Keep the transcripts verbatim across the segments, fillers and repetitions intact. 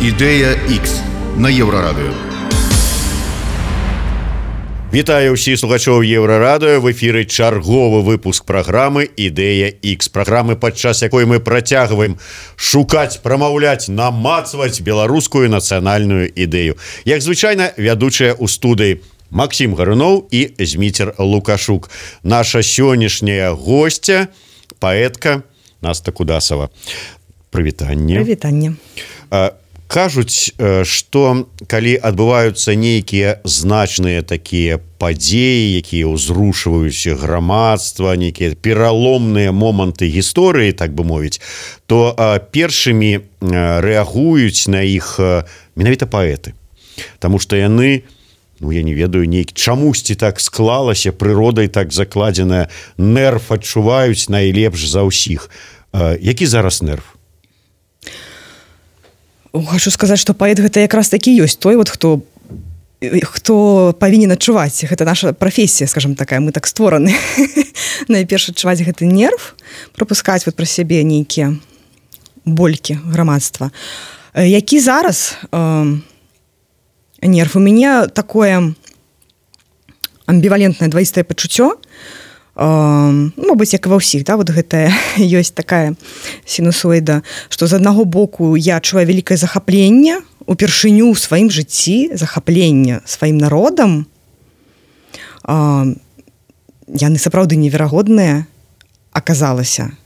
Ідэя Х на Еўрарадыё. Вітаю ўсіх слухачоў Еўрарадыё. В эфіры чарговы выпуск праграмы «Ідэя Х». Праграмы, падчас якой мы працягваем шукаць, прамаўляць, намацваць беларускую нацыянальную ідэю. Як звычайна, вядучая ў студыі Максім Гаруноў і Зміцер Лукашук. Наша сённяшняя госця, паэтка Наста Кудасова. Прывітанне. Прывітанне. Кажуць, што калі адбываюцца нейкія значныя такія падзеі, якія ўзрушваюць грамадства, нейкія пераломныя моманты гісторыі, так бы мовіць, то першымі рэагуюць на іх менавіта паэты. Таму што яны, ну я не ведаю, нейк чамусьці так склалася, прыродай так закладзеная, нерв адчуваюць найлепш за ўсіх. Які зараз нерв? Хочу сказаць, што паэт гэта якраз такі ёсць той, вот, хто, хто павінен адчуваць. Гэта наша прафесія, скажем такая, мы так створаны. Найперш адчуваць гэты нерв, пропускаць вот пра сябе нейкія болькі грамадства. Які зараз э, нерв? У мяне такое амбівалентнае дваістае пачуццё, Uh, мабыць, як і ва ўсіх, да, вот гэта ёсць такая сінусоіда, што з аднаго боку я адчуваю вялікае захапленне упершыню ў сваім жыцці, захапленне сваім народам. Uh, яны сапраўды неверагодныя аказалася.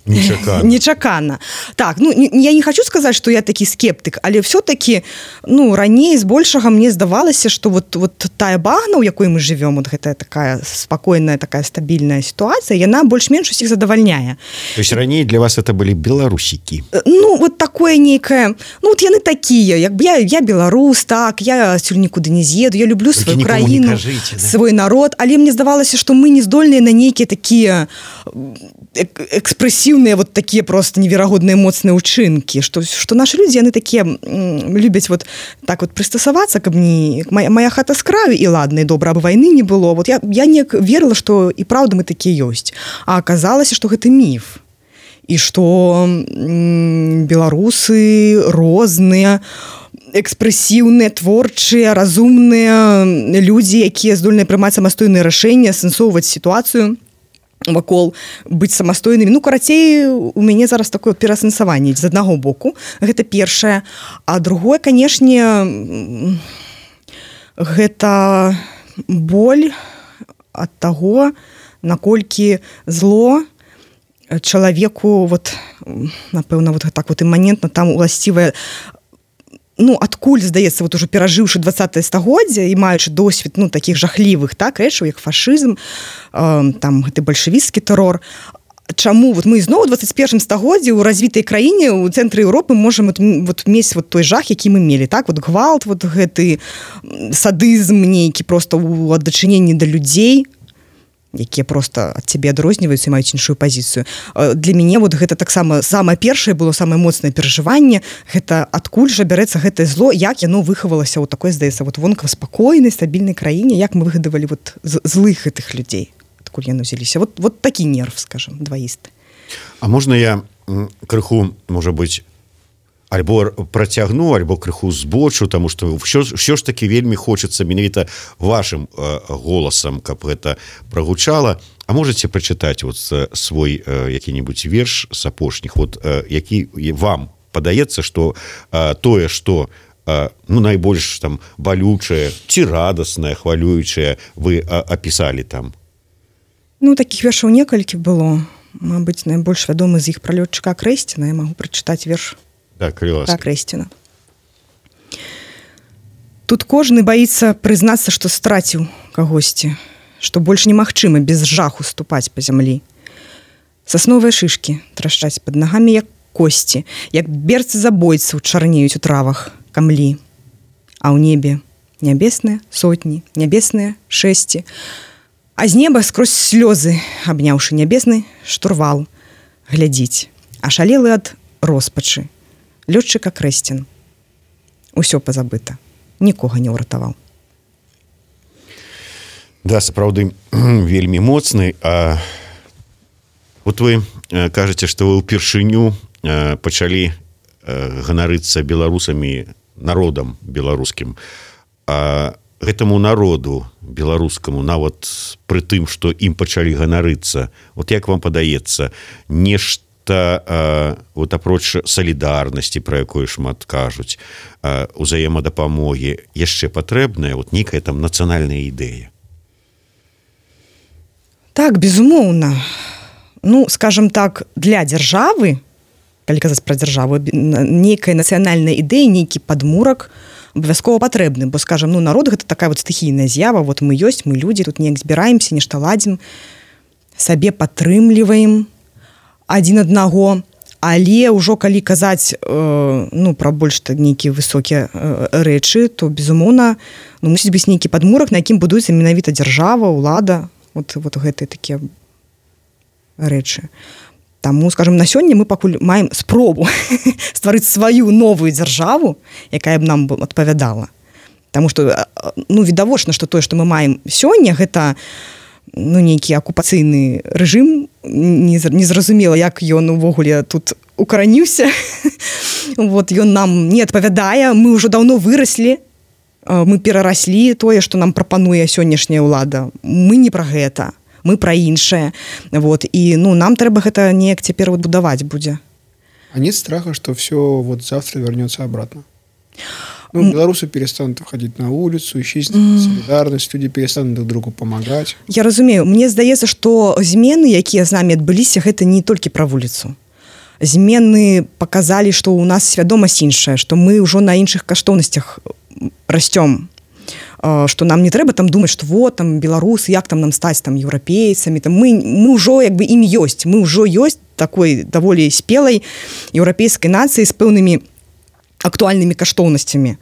Нечакана. Нечакана. Так, ну, не, я не хочу сказаць, што я такі скептык, але все-таки, ну, раней збольшага мне здавалася, што вот, вот тая багна, у якой мы живем, вот гэтая такая спакойная, такая стабільная сітуацыя, яна больш-менш усіх задавальняе. То есть раней для вас это былі беларусікі? Ну, вот такое нейкае, ну, вот яны такія, як бы я, я беларус, так, я сюль нікуды не з'еду, я люблю сваю краіну, кажыце, да? Свой народ, але мне здавалася, што мы не здольныя на нейкія такія экспрэсіўныя вот такія просто неверагодныя моцныя ўчынкі, што, што нашы людзі, яны такія любяць вот так вот прыстасавацца, каб не моя, моя хата з краю і ладна, і добра, абы вайны не было. Вот я, я неяк верыла, што і праўда мы такія ёсць. А аказалася, што гэта міф. І што м, беларусы розныя, экспрэсіўныя, творчыя, разумныя людзі, якія здольныя прымаць самастойныя рашэнні, асэнсоўваць сітуацыю вакол, быць самастойнымі. Ну, карацей, у мяне зараз такое пераасэнсаванне з аднаго боку. Гэта першае. А другое, канешне, гэта боль ад таго, наколькі зло чалавеку, вот, напэўна, вот так вот іманентна там уласцівае, ну, адкуль, здаецца, вот уже перажыўшы дваццатае стагоддзе і маючы досвед, ну, такіх жахлівых, так, рэчаў, як фашызм, э, там, гэты бальшавіцкі тэрор. Чаму? Вот мы зноў у дваццаць першым стагоддзі ў развітай краіне, у цэнтры Еўропы можам вот, вот, мець вот той жах, які мы мелі, так, вот гвалт, вот гэты садызм нейкі просто ў аддачыненні да людзей, якія просто ад цябе адрозніваюцца і маюць іншую пазіцыю. Для мяне вот гэта таксама самае першае было самае моцнае перажыванне, гэта адкуль жа бярэцца гэтае зло, як яно выхавалася ў такой, здаецца, вот вонкава спакойнай, стабільнай краіне, як мы выгадавалі вот злых гэтых людзей, адкуль яны ўзяліся. Вот, вот такі нерв, скажем, дваісты. А можна я крыху, можа быць, альбо працягну, альбо крыху збочу, таму што ўсё, ўсё ж такі вельмі хочацца менавіта вашым э, голасам, каб гэта прагучала. А можаце прачытаць вот свой э, які-небудзь верш з апошніх, вот, э, які вам падаецца, што э, тое, што э, ну, найбольш там балючае ці радаснае, хвалюючае вы э, апісалі там? Ну, такіх вершаў некалькі было. Мабыць, найбольш вядомы з іх пра лётчыка Крэсціна. Я магу прачытаць верш. Так, так, Крэсціна. Тут кожны баіцца прызнацца, што страціў кагосьці, што больш немагчыма без жаху ступаць па зямлі. Сасновыя шышкі трашчаць пад нагамі, як косці, як берцы забойцаў чарнеюць у травах камлі. А ў небе нябесныя сотні, нябесныя шэсці, а з неба скрозь слёзы, абняўшы нябесны штурвал, глядзіць, ашалелы ад роспачы. Лётчыка Крэсцін. Усё пазабыта. Нікога не ўратаваў. Да, сапраўды, вельмі моцны. А вот вы кажаце, што вы ўпершыню пачалі ганарыцца беларусамі, народам беларускім, а гэтаму народу беларускаму, нават пры тым, што ім пачалі ганарыцца, от як вам падаецца, нешта вот апроч салідарнасці, пра якую шмат кажуць, узаемадапамогі, яшчэ патрэбная вот нейкая там нацыянальная ідэя? Так, безумоўна. Ну, скажем так, для дзяржавы, калі казаць пра дзяржаву, нейкая нацыянальная ідэя, нейкі падмурак абавязкова патрэбны, бо, скажем, ну, народ гэта такая вот стыхійная з'ява, вот мы ёсць, мы людзі, тут неяк збіраемся, нешта ладзім, сабе падтрымліваем адзін аднаго, але ўжо калі казаць э, ну, пра больш нейкія высокія э, рэчы, то, безумоўна, ну, мусіць быць нейкі падмурак, на якім будуецца менавіта дзяржава, ўлада, вот, вот гэтыя такія рэчы. Таму, скажем, на сёння мы пакуль маем спробу стварыць сваю новую дзяржаву, якая б нам адпавядала. Таму што, ну, відавочна, што тое, што мы маем сёння, гэта, ну, нейкі акупацыйны рэжым, незразумела, як ён увогуле тут укараніўся. Вот, ён нам не адпавядае, мы ўжо даўно выраслі, мы перараслі тое, што нам прапануе сённяшняя ўлада. Мы не пра гэта. Мы пра іншае. Вот. І ну, нам трэба гэта неяк цяпер вот будаваць будзе. А нет страха, что все вот завтра вернется обратно? Ну, белорусы перестанут выходить на улицу, исчезнет mm. солидарность, люди перестанут друг другу помогать. Я разумею. Мне здаецца, што змены, якія з намі адбыліся, гэта не толькі пра вуліцу. Змены паказалі, што ў нас свядомасць іншая, што мы ўжо на іншых каштоўнасцях расцём. Што нам не трэба там думаць, што вот там беларусы, як там нам стаць там еўрапейцамі, там мы, мы ўжо як бы ім ёсць, мы ўжо ёсць такой даволі спелай еўрапейскай нацыі з пэўнымі актуальнымі каштоўнасцямі.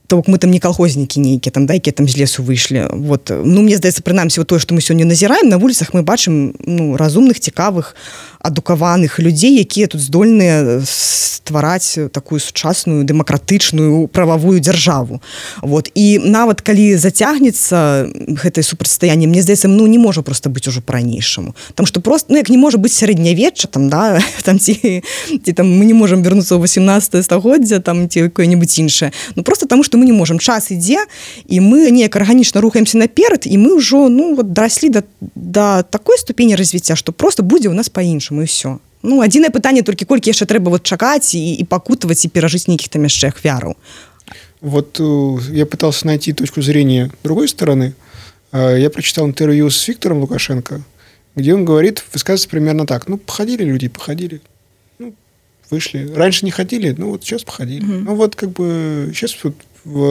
То бок мы там не калхознікі нейкія, там, да, якія там з лесу выйшлі. Вот. Ну, мне здаецца, прынамсі, вот тое, што мы сёння назіраем, на вуліцах мы бачым ну, разумных, цікавых, адукаваных людзей, якія тут здольныя ствараць такую сучасную, дэмакратычную, прававую дзяржаву. Вот. І нават калі зацягнецца гэтае супрацьстаянне, мне здаецца, ну, не можа проста быць ужо па-ранейшаму. Там што проста, ну, як не можа быць сярэднявечча, там, да, там, ці, ці там мы не можам вярнуцца ў васемнаццатае стагоддзя, там, ці якое-небудзь іншае. Ну, проста таму, што мы не можам. Час ідзе, і мы неяк арганічна рухаемся наперад, і мы ўжо, ну, вот, дараслі да, да такой ступені развіцця, што проста будзе ў нас па-іншаму, і ўсё. Ну, адзінае пытанне толькі колькі яшчэ трэба вот чакаць і, і пакутаваць і перажыць нейкіх там яшчэ ахвяраў. Вот я пытался найти точку зрения другой стороны. Я прочитал интервью с Виктором Лукашенко, где он говорит, высказывается примерно так. Ну, походили люди, походили. Ну, вышли. Раньше не ходили, ну, вот сейчас походили. Mm-hmm. Ну, вот как бы сейчас вот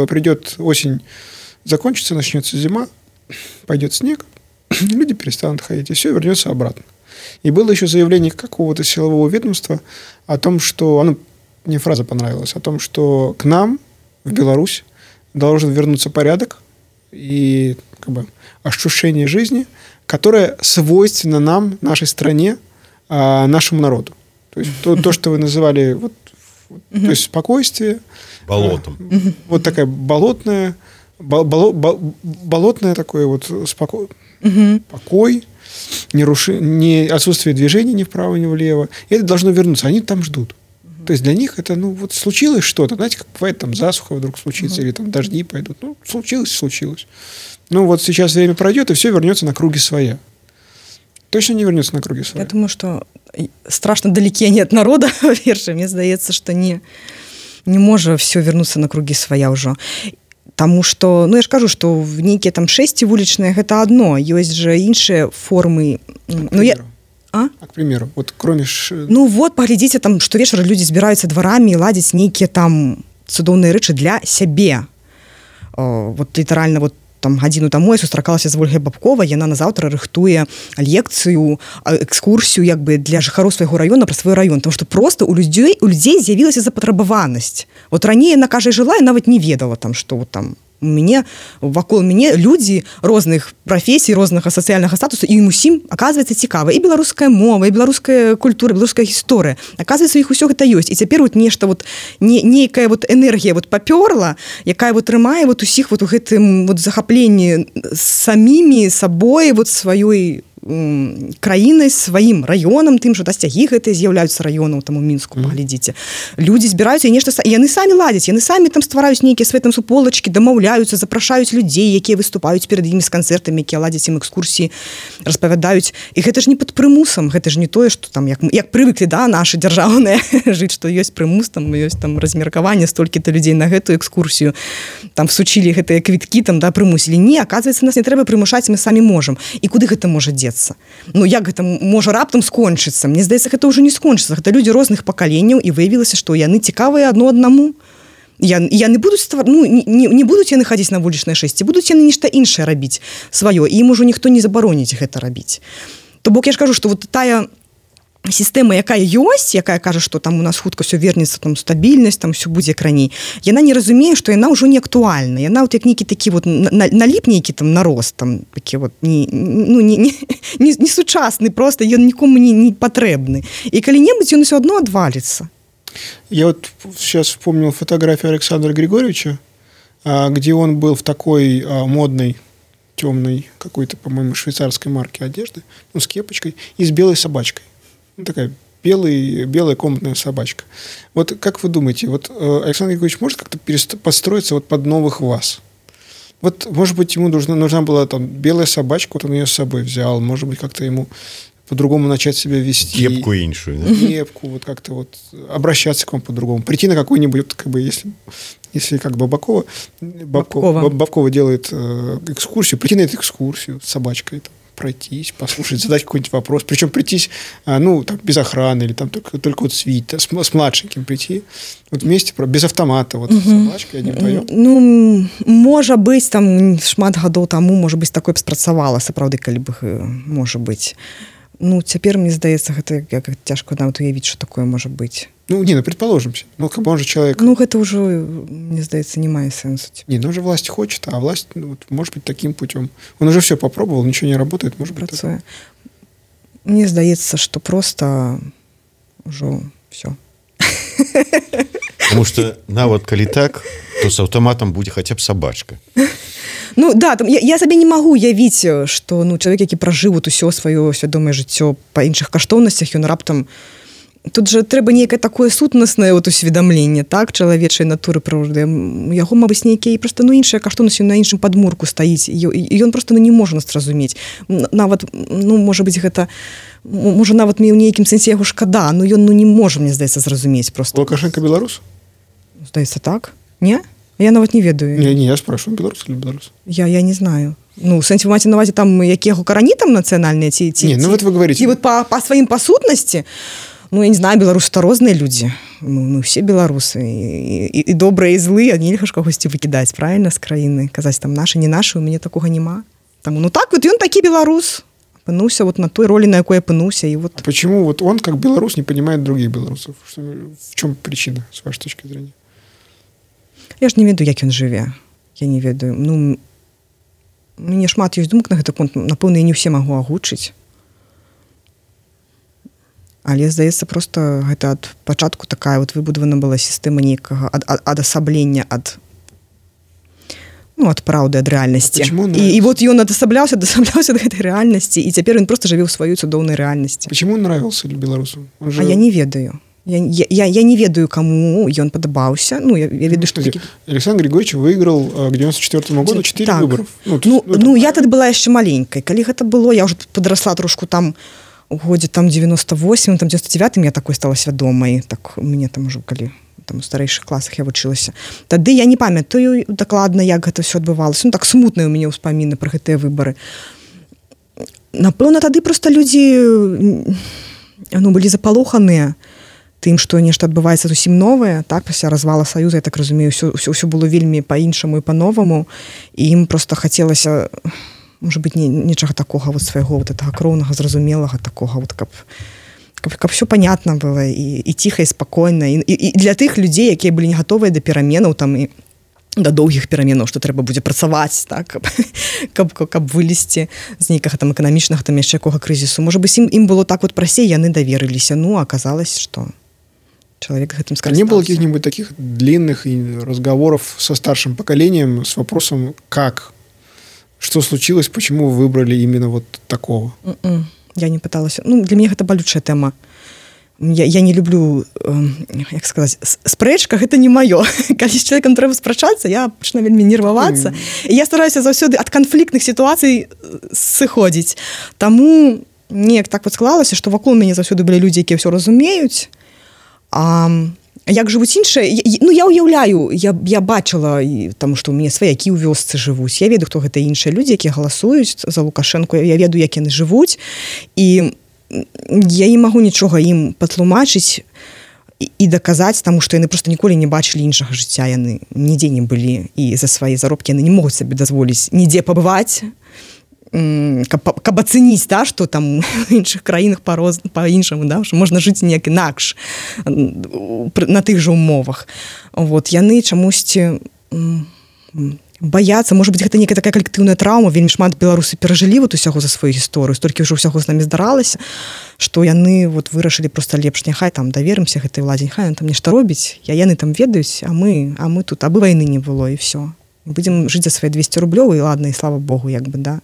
придет осень, закончится, начнется зима, пойдет снег, люди перестанут ходить, и все вернется обратно. И было еще заявление какого-то силового ведомства о том, что, ну, мне фраза понравилась, о том, что к нам, в Беларусь, должен вернуться порядок и как бы ощущение жизни, которое свойственно нам, нашей стране, нашему народу. То есть то, то что вы называли вот, mm-hmm. то есть спокойствие. Болотом. Mm-hmm. Вот такая болотная, бол, бол, бол, болотное такое вот споко... mm-hmm. покой, не, руши... не отсутствие движения ни вправо, ни влево. И это должно вернуться. Они там ждут. Mm-hmm. То есть для них это, ну, вот случилось что-то. Знаете, как бывает, там засуха вдруг случится, mm-hmm. или там дожди пойдут. Ну, случилось, случилось. Ну, вот сейчас время пройдет, и все вернется на круги своя. Точно не вернется на круги своя. Я думаю, что страшно далеки они от народа, во-первых. Мне здаецца, что не, не можа все вернуться на круги своя ўжо. Таму што, ну, я ж кажу, што в нейкія там шэсці вулічныя гэта адно. Ёсць жа іншыя формы. Ну, я... А? А, к примеру, вот кроме... Ш... Ну, вот, паглядзіце, там, штовечар людзі збіраюцца дварамі і ладзяць нейкія там цудоўныя рэчы для сябе. О, вот літаральна, вот там гадзіну таму я сустракалася з Ольгай Бабковай, яна назаўтра рыхтуе лекцыю, экскурсію як бы для жыхароў свайго раёна пра свой раён, тому што проста у людзей у людзей з'явілася запатрабаванасць. Вот раней яна кажа жыла і нават не ведала там, што вот там у мяне вакол мяне людзі розных прафесій, рознага сацыяльнага статусу, і ім усім аказваецца цікава і беларуская мова, і беларуская культура, беларуская гісторыя. Аказваецца, іх усё гэта ёсць. І цяпер вот нешта вот не нейкая вот энергія вот папёрла, якая вот трымае вот усіх вот у гэтым вот захапленні самімі сабой вот сваёй краінай, сваім раёнам, тым, што дасцягі гэтыя з'яўляюцца раёнам, там у Мінску, паглядзіце. Людзі збіраюцца і нешта, і яны самі ладзяць, яны самі там ствараюць нейкія свае там суполачкі, дамаўляюцца, запрашаюць людзей, якія выступаюць перад імі з канцэртамі, якія ладзяць ім экскурсіі, распавядаюць. І гэта ж не пад прымусам, гэта ж не тое, што там, як, як прывыклі, да, нашы дзяржаўныя жыць, што ёсць прымус, там ёсць там размеркаванне столькі-то людзей на гэтую экскурсію, там всучылі гэтыя квіткі, там, да, прымусілі. Не, аказваецца, нас не трэба прымушаць, мы самі можам. І куды гэта можа дзецца? Ну, як гэта можа раптам скончыцца? Мне здаецца, гэта ўжо не скончыцца. Гэта людзі розных пакаленняў, і выявілася, што яны цікавыя адно аднаму. Яны, яны будуць ствар... ну, не, не будуць яны хадзіць на вулічнае шэсце, будуць яны нешта іншае рабіць сваё, і ім ужо ніхто не забароніць гэта рабіць. То бок я ж кажу, што вот тая сістэма, якая ёсць, якая кажа, што там у нас хутка ўсё вернецца, там стабільнасць, там ўсё будзе як раней, яна не разумее, што яна ўжо не актуальна. Яна вот як нейкі такі вот наліп нейкі там нарост, там такі вот не, ну, не, не, не, не сучасны, просто ён нікому не, не патрэбны. І калі-небудзь ён усё адно адваліцца. Я вот сейчас вспомнил фотографию Александра Григорьевича, где он был в такой модной, темной, какой-то, по-моему, швейцарской марки одежды, ну, с кепочкой и с белой собачкой. Ну, такая белый, белая комнатная собачка. Вот как вы думаете, вот Александр Григорьевич может как-то перест... подстроиться вот под новых вас? Вот, может быть, ему нужна, нужна была там белая собачка, вот он ее с собой взял, может быть, как-то ему по-другому начать себя вести. Кепку иншую. Да? Кепку, вот как-то вот обращаться к вам по-другому. Прийти на какой-нибудь, как бы, если, если как Бабакова, Бабкова, Бабкова. Бабкова делает э, экскурсию, прийти на эту экскурсию с собачкой, там, пройтись, послушать, задать какой-нибудь вопрос. Причем прийтись, ну, там, без охраны, или там только, только вот с, с, с младшеньким прийти. Вот вместе, без автомата, вот, угу. С собачкой, одним вдвоем. Ну, можа быць, там, шмат гадоў таму, можа быць, такое б спрацавала, сапраўды, калі б, можа быць. Ну, цяпер, мне здаецца, гэта як цяжка нават уявіць, што такое можа быць. Ну, не, ну, предположим. Ну, как бы он же человек... Ну, гэта ўжо, мне здаецца, не мае сэнсу. Не, ну, уже власть хочет, а власть, ну, вот, может быть, таким путем. Он уже все попробовал, ничего не работает, может быть, працуе. Мне здаецца, што просто ўжо все. Потому что, нават калі так, то с аўтаматам будзе хаця б собачка. Ну, да, там, я, я сабе не магу уявіць, што ну, чалавек, які пражыў вот усё сваё свядомае жыццё па іншых каштоўнасцях, ён раптам... Тут жа трэба нейкае такое сутнаснае вот усведамленне, так, чалавечай натуры прыроды. Яго, мабыць, нейкія проста ну, іншыя каштоўнасці на іншым падмурку стаіць. І ён проста ну, не можа нас зразумець. Нават, ну, можа быць, гэта... Можа, нават мне ў нейкім сэнсе яго шкада, но ён ну, не можа, мне здаецца, зразумець проста. Лукашенко беларус? Здаецца, так. Не? Я нават не ведаю. Не, не, я спрашиваю, беларус или беларус? Я, я не знаю. Ну, в сэнсе, вы маеце на ўвазе там, якія яго карані там нацыянальныя ці... ці не, ну вот вы говорите... І вот па, па сваім па сутнасці, ну, я не знаю, беларусы-то розныя людзі. Мы, мы все беларусы. І, і, і добрыя, і злыя, нельга ж кагосьці выкідаць, правильно, з краіны. Казаць там нашы, не нашы, у мяне такога няма. Таму, ну так, вот ён такі беларус. Апынуўся вот на той ролі, на якой апынуўся. І вот... А почему вот он, как белорус, не понимает других белорусов? Что, в чем причина, с вашей точки зрения? Я ж не ведаю, як ён жыве. Я не ведаю. Ну, мне шмат ёсць думак на гэты конт. Напэўна, я не ўсе магу агучыць. Але, здаецца, проста гэта ад пачатку такая вот выбудавана была сістэма нейкага ад, ад, адасаблення ад ну, ад праўды, ад рэальнасці. І, і вот ён адасабляўся, адасабляўся ад гэтай рэальнасці, і цяпер ён проста жыве ў сваёй цудоўнай рэальнасці. Почему он нравился белорусам? Он же... А я не ведаю. Я, я, я не ведаю, кому ён падабаўся. Ну, я, я ведаю, ну, што... Такі... Александр Григорьевич выиграл к девяносто четвёртому году четыре так. выборов. Ну, ну, ну, ну я тады была яшчэ маленькай. Калі гэта было, я ўжо падрасла трошку там у годзе там девяносто восьмым, там девяносто девятым я такой стала свядомай. Так, мне там ужо, калі там у старэйшых класах я вучылася. Тады я не памятаю дакладна, як гэта ўсё адбывалася. Ну, так смутныя ў мяне ўспаміны пра гэтыя выбары. Напэўна, тады проста людзі ну, былі запалоханыя тым, што нешта адбываецца зусім новае, так, пасля развала Саюза, я так разумею, ўсё, ўсё, ўсё было вельмі па-іншаму і па-новаму, і ім проста хацелася, можа быць, не, нечага такога вот свайго вот гэтага кроўнага, зразумелага такога, вот, каб, каб, каб все понятно было, і, і ціха, і спакойна, і, і, і для тых людзей, якія былі не гатовыя да пераменаў, там, і да доўгіх пераменаў, што трэба будзе працаваць, так, каб, каб, каб вылезці з нейкага там эканамічнага, там яшчэ якога крызісу. Можа быць, ім, ім было так вот прасцей, яны даверыліся, ну, аказалось, што человек этим скористался. А не было каких-нибудь таких длинных разговоров со старшим поколением с вопросом, как, что случилось, почему вы выбрали именно вот такого? Mm-mm. Я не пыталась. Ну, для меня гэта балючая тэма. Я, я не люблю, э, як сказаць, спрэчка, гэта не маё. Калі з чалавекам трэба спрачацца, я пачну вельмі нервавацца. Mm. І я стараюся заўсёды ад канфліктных сітуацый сыходзіць. Таму неяк так вот склалася, што вакол мяне заўсёды былі людзі, якія ўсё разумеюць. А як жывуць іншыя? Ну, я ўяўляю, я, я бачыла, таму што ў мяне сваякі ў вёсцы жывуць. Я ведаю, хто гэта іншыя людзі, якія галасуюць за Лукашэнку. Я ведаю, як яны жывуць. І я не магу нічога ім патлумачыць і, і даказаць, таму што яны проста ніколі не бачылі іншага жыцця. Яны нідзе не былі. І за свае заробкі яны не могуць сабе дазволіць нідзе пабываць, каб, каб ацэніць, да, што там в іншых краінах па-іншаму, да, што можна жыць неяк інакш на тых жа умовах. Вот, яны чамусьці баяцца, можа быць, гэта некая такая калектыўная траўма, вельмі шмат беларусы перажылі вот усяго за сваю гісторыю, столькі ўжо ўсяго з намі здаралася, што яны вот вырашылі проста лепш, няхай там даверымся гэтай уладзе, няхай там нешта робіць, я яны там ведаюць, а мы, а мы тут, абы вайны не было, і все. Будзем жыць за свае двесце рублёў, і ладна, і слава Богу, як бы, да.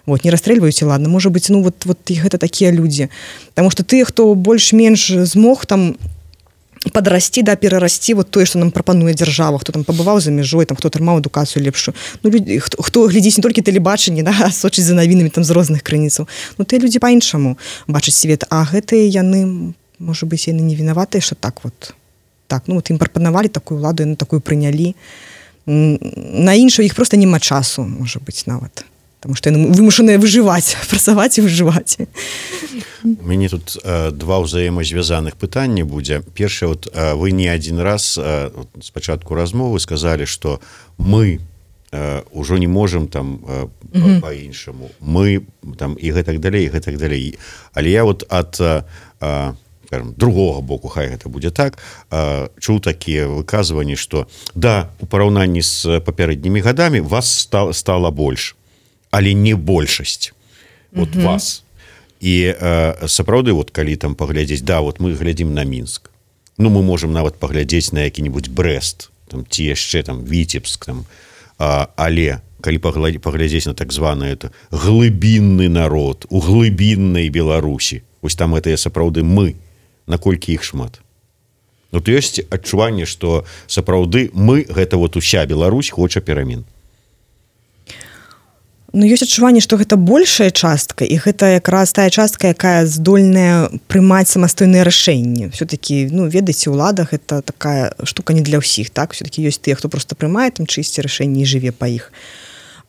Вот, не расстрэльваюць, і ладна. Можа быць, ну, вот, вот гэта такія людзі. Таму што тыя, хто больш-менш змог там падрасці, да, перарасці вот тое, што нам прапануе дзяржава, хто там пабываў за мяжой, там, хто атрымаў адукацыю лепшую. Ну, людзі, хто, хто глядзіць не толькі тэлебачанне, да, а сочыць за навінамі там з розных крыніцаў. Ну, тыя людзі па-іншаму бачаць свет, а гэтыя яны, можа быць, яны не вінаватыя, што так вот. Так, ну, вот ім прапанавалі такую ўладу, яны такую прынялі. На іншую іх проста няма часу, можа быць, нават. Таму што яны вымушаныя выжываць, працаваць і выжываць. У мяне тут э, два ўзаемазвязаных пытання будзе. Першае, вот, э, вы не адзін раз э, спачатку размовы сказалі, што мы э, ўжо не можам там э, mm-hmm. па-іншаму. Мы там і гэтак далей, і гэтак далей. Але я вот ад э, скажем, другога боку, хай гэта будзе так, э, чуў такія выказванні, што да, у параўнанні з папярэднімі гадамі вас стала, стала больш. Але не большасць вот mm-hmm. вас. І э, сапраўды, вот, калі там паглядзець, да, вот мы глядзім на Мінск. Ну, мы можам нават паглядзець на які-небудзь Брэст, там, ці яшчэ там Віцебск, там. А, але калі паглядзець на так званы это глыбінны народ у глыбіннай Беларусі, вось там это сапраўды мы, наколькі іх шмат. Вот ёсць адчуванне, што сапраўды мы, гэта вот уся Беларусь хоча перамен. Ну, ёсць адчуванне, што гэта большая частка, і гэта якраз тая частка, якая здольная прымаць самастойныя рашэнні. Все-таки, ну, ведаеце, ўлада гэта такая штука не для ўсіх, так? Все-таки ёсць тыя, хто просто прымае там чысці рашэнні і жыве па іх.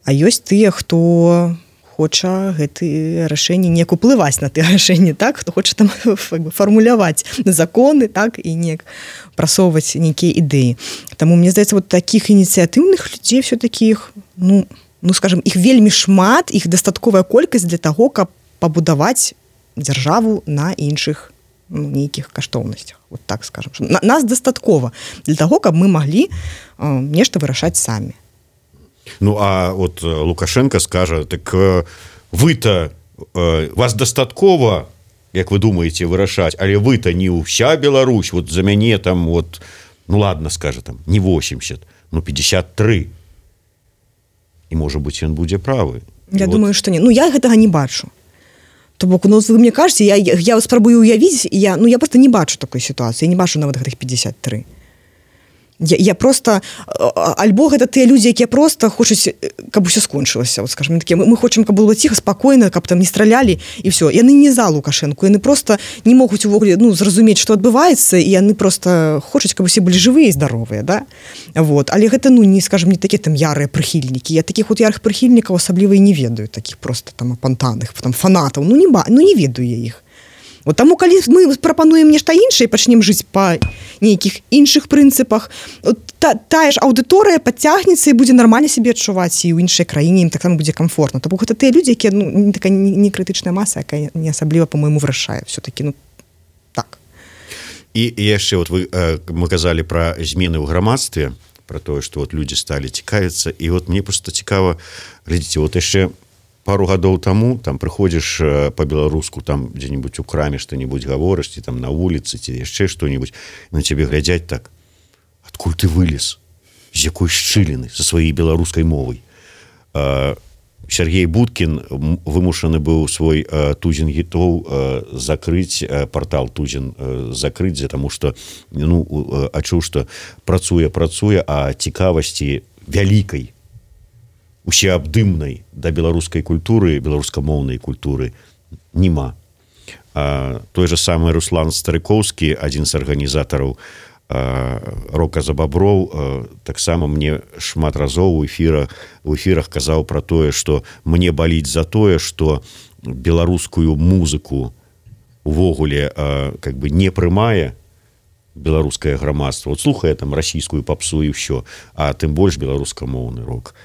А ёсць тыя, хто хоча гэтыя рашэнні неяк уплываць на тыя рашэнні, так? Хто хоча там фармуляваць законы, так? І неяк прасоўваць нейкія ідэі. Таму, мне здаецца, вот такіх ініцыятыўных людзей все-таки іх, ну, ну, скажем, іх вельмі шмат, іх дастатковая колькасць для таго, каб пабудаваць дзяржаву на іншых, ну, нейкіх каштоўнасцях. Вот так скажем. На, нас дастаткова для таго, каб мы маглі э, нешта вырашаць самі. Ну, а вот Лукашенко скажа, так э, вы-то, э, вас дастаткова, як вы думаеце, вырашаць, але вы-то не ўся Беларусь, вот за мяне там, вот, ну, ладно, скажа там, не восемьдесят, ну, пятьдесят три. І, можа быць, ён будзе правы. Я вот. Думаю, што не. Ну, я гэтага не бачу. То бок, ну, вы мне кажаце, я, я спрабую уявіць, я, ну, я просто не бачу такой сітуацыі, я не бачу нават гэтых пятьдесят три. Я, я просто, альбо гэта тыя людзі, якія просто хочуць, каб усё скончылася, вот, скажем, такія, мы, мы хочам, каб было ціха, спакойна, каб там не стралялі, і все. Яны не за Лукашэнку, яны просто не могуць увогуле, ну, зразумець, што адбываецца, і яны просто хочуць, каб усе былі жывыя і здаровыя, да? Вот. Але гэта, ну, не, скажем, не такія там ярыя прыхільнікі. Я такіх вот ярых прыхільнікаў асабліва і не ведаю, такіх просто там апантаных, там фанатаў, ну, не, ну, не ведаю я іх. Вот таму, калі мы прапануем нешта іншае і пачнем жыць па нейкіх іншых прынцыпах, та, тая ж аўдыторыя падцягнецца і будзе нармальна сябе адчуваць, і ў іншай краіне ім таксама будзе комфортна. Таму гэта тыя людзі, якія, ну, не такая не крытычная маса, якая не асабліва, па-мойму, вырашае все-таки, ну, так. І, і яшчэ вот вы, мы казалі пра змены ў грамадстве, пра тое, што вот людзі сталі цікавіцца, і вот мне проста цікава, глядзіце, вот яшчэ пару гадоў таму там прыходзіш па-беларуску, там дзе-нибудь у краме што-нибудь гаворыш, ці там на вуліцы, ці яшчэ што-нибудь, на цябе глядзяць так, адкуль ты вылез, з якой шчыліны, са сваёй беларускай мовай. А, Сергей Будкін вымушаны быў свой тузін гітоў закрыць, партал тузін закрыць, таму што ну, адчуў, што працуе, працуе, а цікавасці вялікай, усеабдымнай да беларускай культуры, беларускамоўнай культуры нема. Той же самы Руслан Старыкоўскі, адзін з арганізатараў рока за баброў, таксама мне шмат разоў у эфірах у эфірах казаў пра тое, што мне баліць за тое, што беларускую музыку увогуле как бы не прымае беларускае грамадства. Вот слухае там расійскую папсу і ўсё, а тым больш беларускамоўны рок.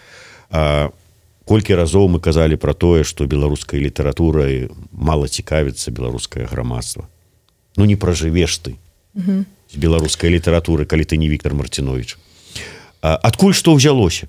А колькі разоў мы казалі пра тое, што беларускай літаратурай мала цікавіцца беларускае грамадства. Ну не пражывеш ты. Угу. З беларускай літаратуры, калі ты не Віктор Мартинович. Адкуль што ўзялося?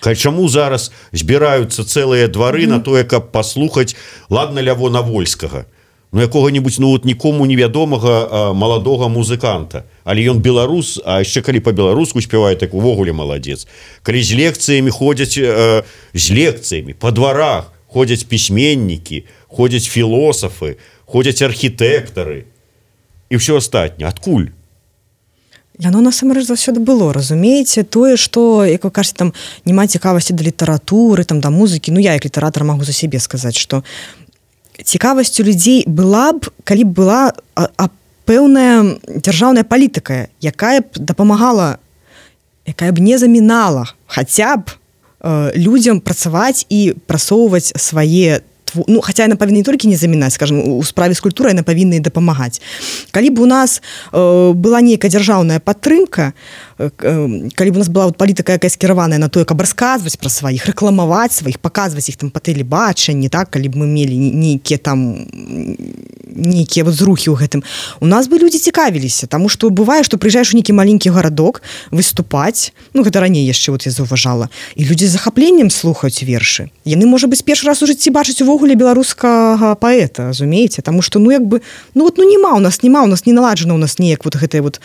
Чаму зараз збіраюцца цэлыя двары mm-hmm. на тое, каб паслухаць ладна Лявона Вольскага, ну якога-небудзь ну вот нікому невядомага маладога музыканта, але ён беларус, а яшчэ калі па-беларуску спявае, так увогуле маладзец. Калі з лекцыямі ходзяць э, з лекцыямі па дварах ходзяць пісьменнікі, ходзяць філосафы, ходзяць архітэктары і ўсё астатняе. Адкуль? Яно насамрэч заўсёды было, разумееце, тое, што, як вы кажаце, там няма цікавасці да літаратуры, там да музыкі, ну я як літаратар магу за сябе сказаць, што цікавасць у людзей была б, калі б была а, а, пэўная дзяржаўная палітыка, якая б дапамагала, якая б не замінала хаця б э, людзям працаваць і прасоўваць свае, ну, хаця яна павінна не толькі не замінаць, скажем, у справе з культурай яна павінна і дапамагаць. Калі б у нас э, была нейкая дзяржаўная падтрымка, э, калі б у нас была вот палітыка, якая скіраваная на тое, каб расказваць пра сваіх, рэкламаваць сваіх, паказваць іх там па тэлебачанні, так, калі б мы мелі нейкія там нейкія вот зрухі ў гэтым, у нас бы людзі цікавіліся, таму што бывае, што прыязджаеш у нейкі маленькі гарадок выступаць, ну гэта раней яшчэ вот я заўважала, і людзі з захапленнем слухаюць вершы. Яны, можа быць, першы раз у жыцці бачаць увогуле беларускага паэта, разумееце, таму што ну як бы ну вот ну нема у нас нема у нас не наладжана у нас неяк вот гэтая вот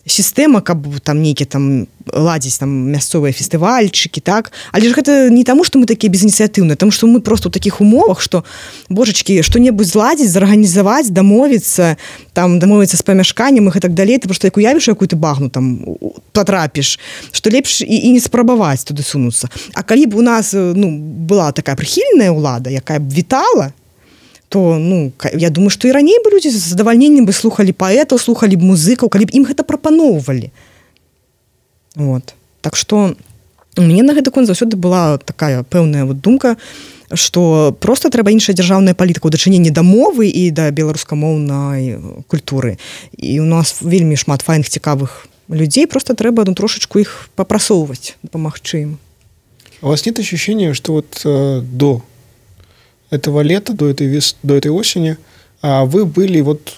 сістэма, каб там нейкі там ладзіць там мясцовыя фестывальчыкі, так, але ж гэта не таму, што мы такія безініцыятыўныя, таму што мы просто ў такіх умовах, што божачкі, што-небудзь зладзіць, зарганізаваць, дамовіцца, там дамовіцца з памяшканнем і так далей, ты просто як уявіш якую-то багну там патрапіш, што лепш і, і не спрабаваць туды сунуцца. А калі б у нас ну была такая прыхільная ўлада, якая б вітала, то ну я думаю, што і раней бы людзі з задавальненнем бы слухалі паэтаў, слухалі б музыкаў, калі б ім гэта прапаноўвалі. Вот. Так што у мяне на гэты конт заўсёды была такая пэўная вот думка, што проста трэба іншая дзяржаўная палітыка ў дачыненні да мовы і да беларускамоўнай культуры. І у нас вельмі шмат файных цікавых людзей, просто трэба ну трошачку іх папрасоўваць, дапамагчы ім. У вас нет ощущения, что вот э, до этого лета, до этой, вес... до этой осени, а вы были вот,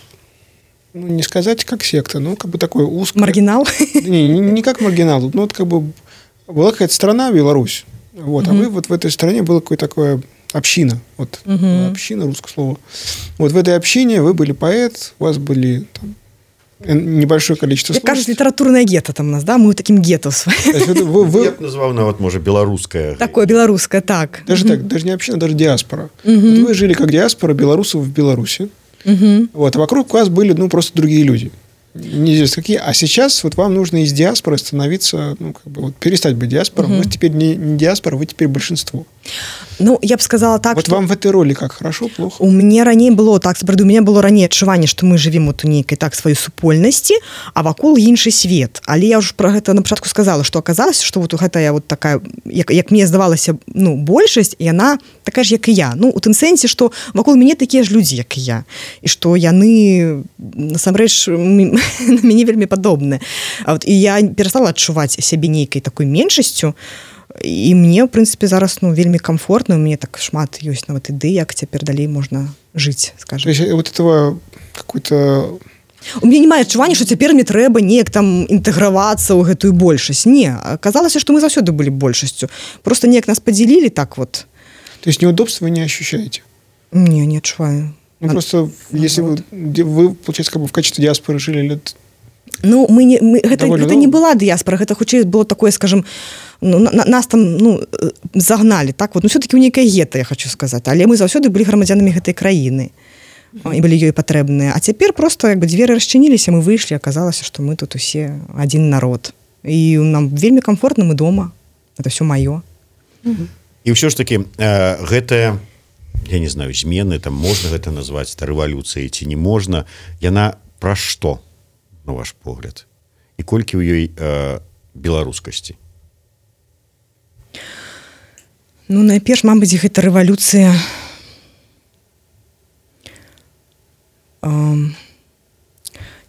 ну, не сказать как секта, но как бы такой узкий... Маргинал? Не, не, не как маргинал, ну вот как бы была какая-то страна, Беларусь, вот, угу. А вы вот в этой стране была какая-то такая община, вот, угу. Община, русское слово. Вот в этой общине вы были поэт, у вас были там небольшое количество слов. Кажется, литературное гетто там у нас, да? Мы таким гетто своим. Вы, вы... Я бы назвал, ну, вот, может, белорусское. Такое белорусское, так. Даже угу. так, даже не община, даже диаспора. Угу. Вот вы жили как диаспора белорусов в Беларуси. Угу. Вот, а вокруг вас были, ну, просто другие люди. Неизвестно какие. А сейчас вот вам нужно из диаспоры становиться, ну, как бы, вот, перестать быть диаспором. Угу. Вы теперь не, не диаспора, вы теперь большинство. Ну, я б сказала так, вот что... вам в этой роли как, хорошо, плохо? У мяне раней было так, сапраўды, у мяне было раней адчуванне, што мы жывем вот у нейкай так сваёй супольнасці, а вакол іншы свет. Але я ўжо пра гэта на пачатку сказала, што аказалася, што вот гэтая вот такая, як, як мне здавалася, ну, большасць, яна такая ж, як і я. Ну, у тым сэнсе, што вакол мяне такія ж людзі, як і я. І што яны, насамрэч, на мяне вельмі падобныя. А вот, і я перастала адчуваць сябе нейкай такой меншасцю, і мне, в прынцыпе, зараз ну, вельмі комфортно, у мяне так шмат ёсць нават ідэй, як цяпер далей можна жыць, скажем. То есть вот этого какой-то... У мяне не мае адчування, што цяпер мне трэба неяк там інтэгравацца ў гэтую большасць. Не, аказалася, што мы заўсёды былі большасцю. Просто неяк нас падзялілі так вот. То есть неудобства вы не ощущаете? Не, не адчуваю. Ну, а... просто, если вы, вы, получается, как бы в качестве диаспоры жили лет Ну мы не мы, гэта, гэта не была дыяспора, гэта хутчэй было такое, скажем, ну, на, нас там ну, загнали так вот, ну все-таки у нейкае гета, я хочу сказаць, але мы заўсёды былі грамадзянамі гэтай краіны і былі ёй патрэбныя, а цяпер просто як бы дзверы расчыніліся, мы выйшлі, аказалася, што мы тут усе адзін народ і нам вельмі комфортна, мы дома, это все маё. І ўсё ж таки э, гэтая, я не знаю, змены, там можна гэта назваць рэвалюцыяй ці не можна, яна пра што, на ваш погляд, і колькі ў ёй э, беларускасці? Ну найперш, мабыць, гэта рэвалюцыя э,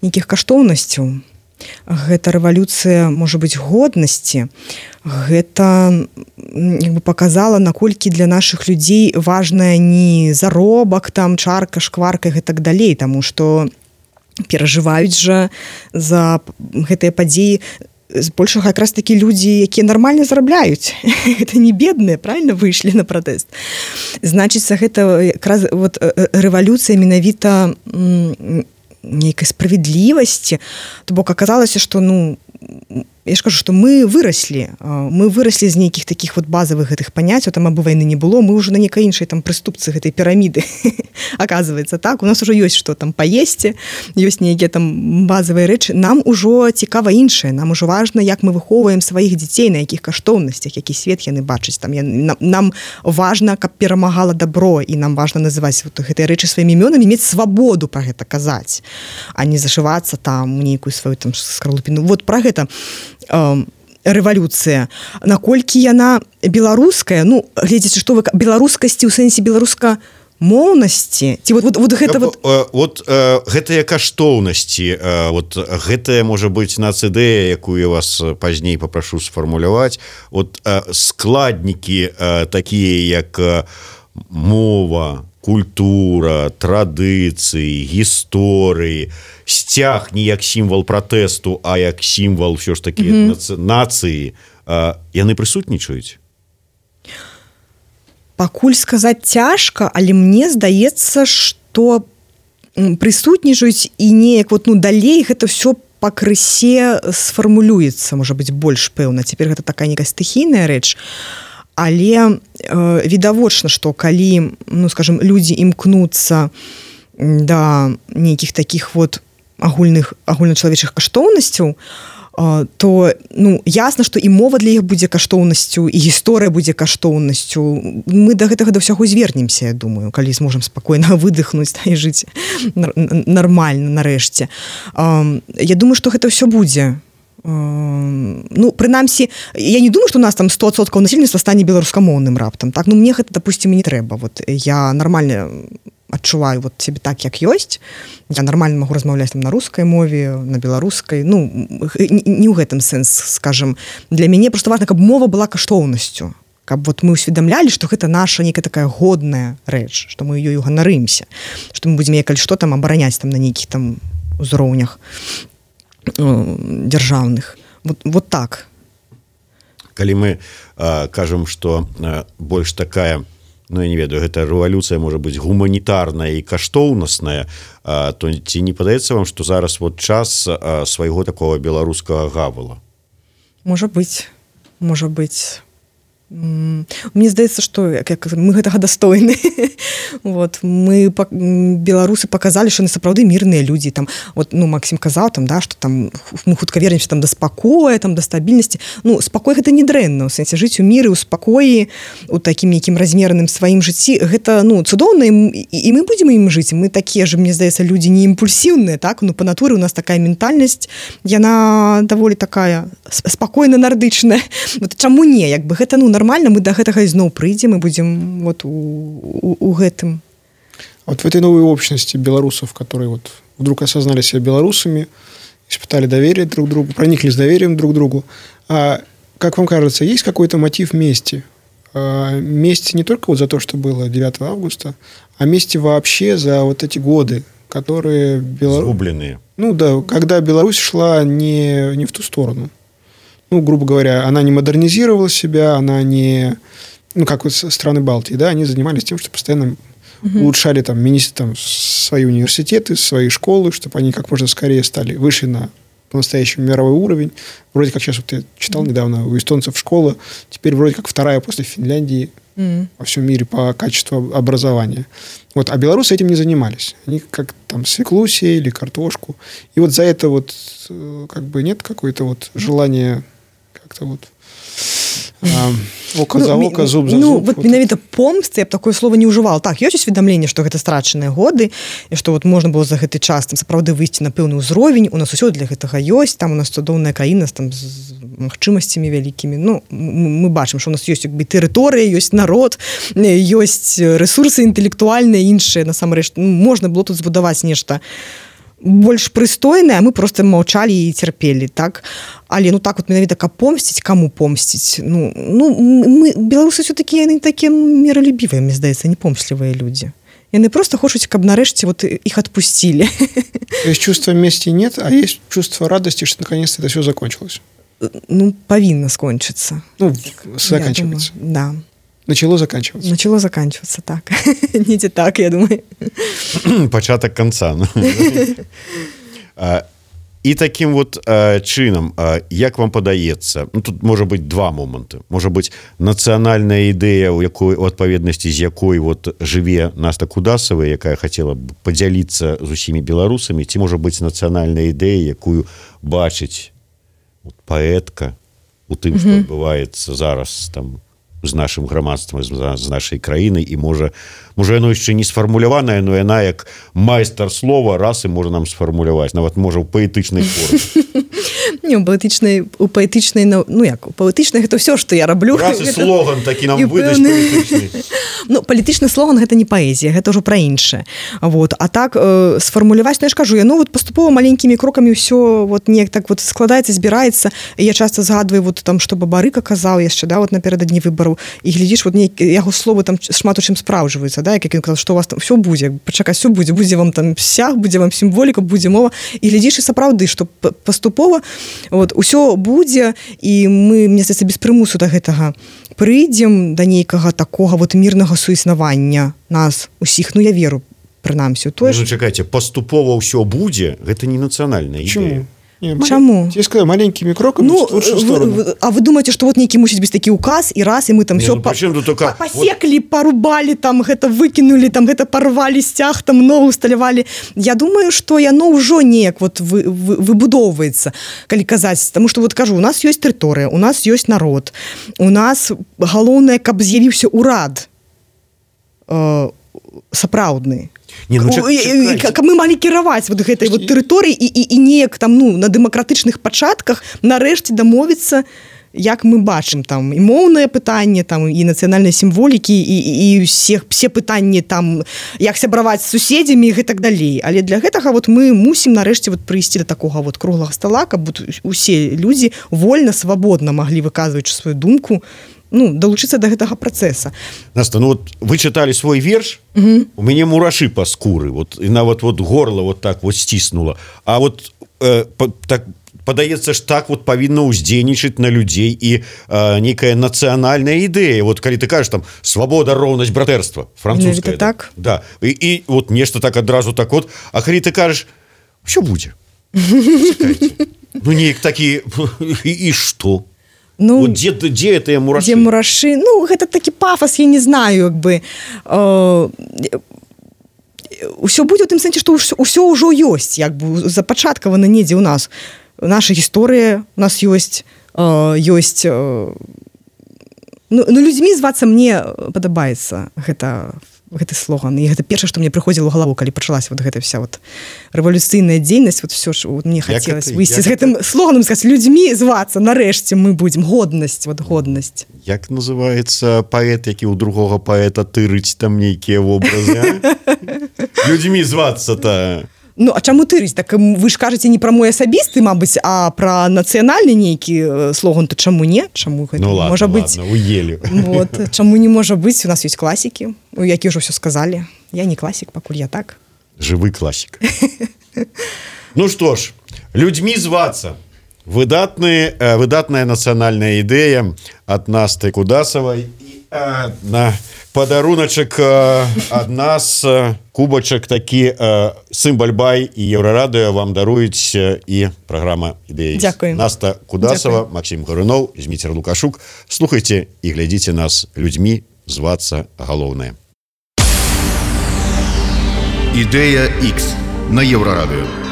нейкіх каштоўнасцяў, гэта рэвалюцыя, можа быць, годнасці, гэта як бы паказала, наколькі для нашых людзей важная не заробак, там чарка, шкварка і так далей, таму што перажываюць жа за гэтыя падзеі збольшага якраз такі людзі, якія нармальна зарабляюць. Гэта не бедныя, правильно, выйшлі на пратэст. Значыцца, гэта якраз вот рэвалюцыя менавіта нейкай справядлівасці, то бок аказалася, што ну я ж кажу, што мы выраслі, мы выраслі з нейкіх такіх вот базавых гэтых паняццяў, там абы вайны не было, мы ўжо на нейкай іншай там прыступцы гэтай піраміды, аказваецца, так, у нас ужо ёсць што там паесці, ёсць нейкія там базавыя рэчы, нам ужо цікава іншае, нам ужо важна, як мы выхоўваем сваіх дзяцей, на якіх каштоўнасцях, які свет яны бачаць, там нам, нам важна, каб перамагала добро, і нам важна называць вот гэтыя рэчы сваімі імёнамі, мець свабоду пра гэта казаць, а не зашывацца там у нейкую сваю там скарлупіну. Вот пра гэта рэвалюцыя, наколькі яна беларуская, ну глядзячы, што вы беларускасці ў сэнсе беларуска моўнасці, ці вот, вот, вот гэта вот... Вот э, гэтыя каштоўнасці, э, вот гэтая можа быць нацыдэя, якую я вас пазней папрашу сфармуляваць, вот э, складнікі э, такія, як э, мова, культура, традыцыі, гісторыі, сцяг не як сімвал пратэсту, а як сімвал ўсё ж такі mm-hmm. нацыі, яны прысутнічаюць? Пакуль сказаць цяжка, але мне здаецца, што прысутнічаюць і неяк вот, ну, далей гэта ўсё пакрысе сфармулюецца, можа быць, больш пэўна. Цяпер гэта такая нейкая стыхійная рэч. Але э, відавочна, што калі, ну, скажем, людзі імкнуцца да нейкіх такіх вот агульных агульначалавечых каштоўнасцяў, э, то ну, ясна, што і мова для іх будзе каштоўнасцю, і гісторыя будзе каштоўнасцю. Мы да гэтага да ўсяго звернемся, я думаю, калі зможам спакойна выдыхнуць да, і жыць нармальна нарэшце. Э, я думаю, што гэта ўсё будзе. Ну, прынамсі, я не думаю, што у нас там сто адсоткаў насельніцтва стане беларускамоўным раптам. Так, ну, мне гэта, допустим, не трэба. Вот, я нармальна адчуваю вот себе так, як ёсць. Я нармальна магу размаўляць там на рускай мове, на беларускай. Ну, не ў гэтым сэнс, скажем. Для мяне просто важна, каб мова была каштоўнасцю. Каб вот мы ўсведамлялі, што гэта наша нейкая такая годная рэч, што мы ёю ганарымся, што мы будзем калі што там абараняць там на нейкіх там узроўнях дзяржаўных. Вот, вот так. Калі мы э, кажам, што э, больш такая, ну я не ведаю, гэта рэвалюцыя можа быць гуманітарная і каштоўнасная, э, то ці не падаецца вам, што зараз вот час э, свайго такого беларускага гавала? Можа быць, можа быць. Мне здаецца, што мы гэтага дастойны. Вот, мы беларусы паказалі, што яны сапраўды мірныя людзі. Там, вот, ну, Максім казаў, там, да, што там, мы хутка вернемся там, да спакоя, там, да стабільнасці. Ну, спакой гэта не дрэнна, у сэнсе жыць у міры, у спакоі, у такім нейкім размераным сваім жыцці. Гэта ну, цудоўна, і, і мы будзем ім жыць. Мы такія ж, мне здаецца, людзі не імпульсіўныя, так? Ну, па натуры у нас такая ментальнасць, яна даволі такая спакойна нардычная. Вот, чаму не? Як бы гэта, ну, нормально, мы до гэтага ізноў прыйдзем и будем вот у, у, у гэтым. Вот в этой новой общности белорусов, которые вот вдруг осознали себя белорусами, испытали доверие друг к другу, прониклись доверием друг к другу, а, как вам кажется, есть какой-то мотив мести? А, мести не только вот за то, что было девятого августа, а мести вообще за вот эти годы, которые... Белор... Сгубленные. Ну да, когда Беларусь шла не, не в ту сторону. Ну, грубо говоря, она не модернизировала себя, она не... Ну, как вот страны Балтии, да, они занимались тем, что постоянно угу. улучшали там, мини... там свои университеты, свои школы, чтобы они как можно скорее стали, вышли на по-настоящему мировой уровень. Вроде как сейчас, вот я читал mm-hmm. недавно, у эстонцев школа теперь вроде как вторая после Финляндии mm-hmm. во всем мире по качеству образования. Вот, а белорусы этим не занимались. Они как там свеклу сеяли, картошку. И вот за это вот как бы нет какой-то вот желания как-то вот... А, око ну, за око, зуб за ну, зуб. Вот, вот менавіта помсты, я б такое слово не ўжывала. Так, ёсць усведамленне, што гэта страчаныя годы, і што вот можна было за гэты час там сапраўды выйсці на пэўны ўзровень, у нас усё для гэтага ёсць, там у нас цудоўная краіна там з магчымасцямі вялікімі. Ну, мы бачым, што у нас ёсць як бы тэрыторыя, ёсць народ, ёсць рэсурсы інтэлектуальныя, іншыя, насамрэч, ну, можна было тут збудаваць нешта больш прыстойнае, а мы просто маўчалі і цярпелі, так? Але ну так вот менавіта каб помсціць, каму помсціць? Ну, ну мы беларусы ўсё-такі яны такія міралюбівыя, мне здаецца, не помслівыя людзі. Яны просто хочуць, каб нарэшце вот іх адпусцілі. То есть чувства мести нет, а есть чувство радости, что наконец-то это все закончилось. Ну, павінна скончыцца. Ну, заканчивается. Да. Начало заканчиваться. Начало заканчиваться, так. Недзе так, я думаю. Пачатак канца. І такім вот чынам, як вам падаецца, ну, тут можа быць два моманты. Можа быць нацыянальная ідэя, у якой у адпаведнасці з якой вот жыве Наста Кудасава, якая хацела б падзяліцца з усімі беларусамі, ці можа быць нацыянальная ідэя, якую бачыць вот, паэтка у тым, што mm-hmm. адбываецца зараз там з нашым грамадствам, з нашай краінай, і можа, можа яно яшчэ не сфармуляванае, но яна як майстар слова раз і можа нам сфармуляваць, нават можа ў паэтычнай форме. Не, у паэтычнай, у паэтычнай, ну як, у паэтычнай гэта ўсё, што я раблю. Раз і слоган такі нам выдаць паэтычны. Ну, палітычны слоган гэта не паэзія, гэта ўжо пра іншае. Вот. А так, э, сфармуляваць, ну я ж кажу, яно вот паступова маленькімі крокамі ўсё вот неяк так вот складаецца, збіраецца. І я часта згадваю вот там, што Бабарыка казаў яшчэ, да, вот напярэдадні выбараў, і глядзіш, вот нейк, яго словы там шмат у чым спраўджваюцца, да, як ён казаў, што у вас там ўсё будзе, пачакай, ўсё будзе, будзе вам там сяг, будзе вам сімволіка, будзе мова. І глядзіш, і сапраўды, што паступова вот, усё будзе, і мы, мне здаецца, без прымусу да гэтага прыйдзем да нейкага такога вот мірнага суіснавання нас усіх, ну я веру прынамсі. Ну, чакайце, паступова ўсё будзе, гэта не нацыянальная ідэя. Не, Чаму? Я сказал, маленькими кроками ну, в лучшую сторону. Вы, а вы думаете, что вот некий мусить быть такой указ, и раз, и мы там не, все ну, по, только... по, посекли, вот... порубали, там, это выкинули, там, это порвали стяг, там, новую усталявали. Я думаю, что яно ўжо неяк вот вы, вы, выбудоўваецца, калі казаць. Потому что, вот кажу, у нас есть тэрыторыя, у нас есть народ, у нас галоўнае, каб з'явіўся урад э, сапраўдны. Не, ну, чак, каб мы малі кіраваць вот гэтай вот тэрыторыі і, і, і неяк там ну на дэмакратычных пачатках нарэшце дамовіцца, як мы бачым там і моўнае пытанне там і нацыянальнай сімволікі і, і ўсе все пытанні там як сябраваць з суседзямі і гэтак далей. Але для гэтага вот мы мусім нарэшце вот прыйсці да такога вот круглага стала, каб усе людзі вольна свабодна маглі выказваць сваю думку, ну, далучыцца да гэтага працэса. Наста, ну вот вы чыталі свой верш, угу. У мяне мурашы па скуры, вот, і нават вот горло вот так вот сціснула. А вот э, па, так, падаецца ж так вот павінна ўздзейнічаць на людзей і э, нейкая нацыянальная ідэя. Вот калі ты кажаш там свабода, роўнасць, братэрства, французская. Ну, так. Да. І, і вот нешта так адразу так вот, а калі ты кажаш, що будзе? Чакайце. Ну, неяк такі, і, і што? Ну, вот где, где это мураши? Где мураши? Ну, гэта такі пафос, я не знаю, як бы. Э, усё будзе ў тым сэнсе, што ўсё ўжо ёсць, як бы запачаткавана недзе ў нас. Наша гісторыя у нас ёсць, э, ёсць. Э, ну, ну, людзьмі звацца мне падабаецца гэта гэты слоган. І гэта першае, што мне прыходзіла ў галаву, калі пачалася вот гэта вся вот рэвалюцыйная дзейнасць, вот всё ж вот мне хацелася выйсці з гэтым это... слоганам, сказаць, людзьмі звацца, нарэшце мы будзем, годнасць, вот годнасць. Як называецца паэт, які ў другога паэта тырыць там нейкія вобразы, а? Людзьмі звацца-то. Ну, а чаму тырыць? Так вы ж кажаце не пра мой асабісты, мабыць, а пра нацыянальны нейкі слоган, то чаму не? Чаму гэта ну, ладно, можа быць? Ладно, уелі. Вот, чаму не можа быць? У нас ёсць класікі, які ўжо ўсё сказалі. Я не класік, пакуль я так. Жывы класік. Ну што ж, людзьмі звацца. Выдатны, выдатная нацыянальная ідэя ад Насты Кудасавай і на падаруначак ад нас кубачак такі Сымбальбай і Еўрарадыё вам даруюць і праграма Ідэя Ікс. Дзякуй. Наста Кудасова, Максим Гарунов, Зміцер Лукашук. Слухайце і глядзіце нас людзьмі, звацца галоўнае. Ідэя Ікс на Еўрарадыё.